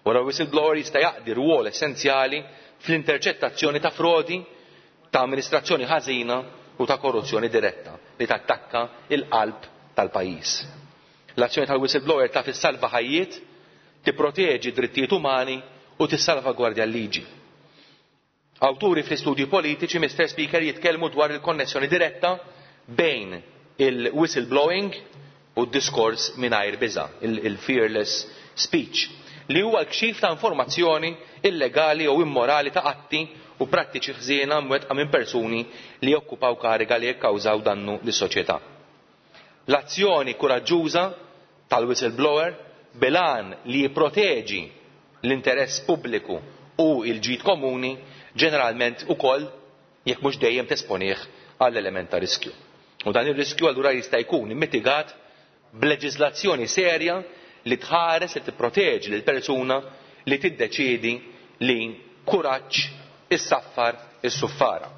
Wara whistleblower jista' jaqdi rwol essenzjali fl-interċettazzjoni ta' frodi, ta' amministrazzjoni ħażina u ta' korruzzjoni diretta li tattakka il-qalb tal-pajjiż. L-azzjoni tal-whistleblower taf issalva ħajjiet, tipproteġi drittijiet umani u tissalvagwardja l-liġi. Awturi fl-istudji politiċi, Mr. Speaker, jitkellmu dwar il-konnessjoni diretta bejn il-whistleblowing u d-diskors mingħajr biża', il-fearless speech, li huwa l-kxif ta' informazzjoni illegali jew immorali ta' atti u prattiċi ħżiena mwettqa minn persuni li jokkupaw kariga li jikkawżaw dannu lis-soċjetà. L-azzjoni kuraġġuża tal-whistleblower bil-għan li jipproteġi l-interess pubbliku u l-ġid komuni ġeneralment ukoll jekk mhux dejjem tesponih għall element ta' riskju. U dan ir-riskju allura jista' jkun mitigat b'leġiżlazzjoni serja li tħares li tipproteġi lil persuna li tiddeċiedi li b'kuraġġ issaffar is-suffara.